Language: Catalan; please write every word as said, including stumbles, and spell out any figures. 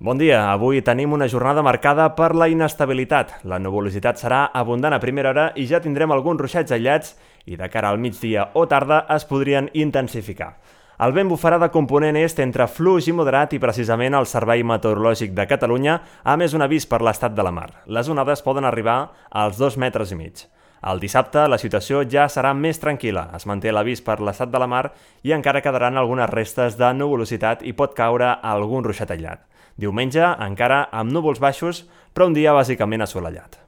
Bon dia, avui tenim una jornada marcada per la inestabilitat. La nuvolositat serà abundant a primera hora i ja tindrem alguns ruixats aïllats i de cara al migdia o tarda es podrien intensificar. El vent bufarà de component est entre fluix i moderat i precisament el Servei Meteorològic de Catalunya ha emès un avís per l'estat de la mar. Les onades poden arribar als dos metres i mig. El dissabte la situació ja serà més tranquil·la. Es manté l'avís per l'estat de la mar i encara quedaran algunes restes de nuvolositat i pot caure algun ruixat aïllat. Diumenge encara amb núvols baixos, però un dia bàsicament assolellat.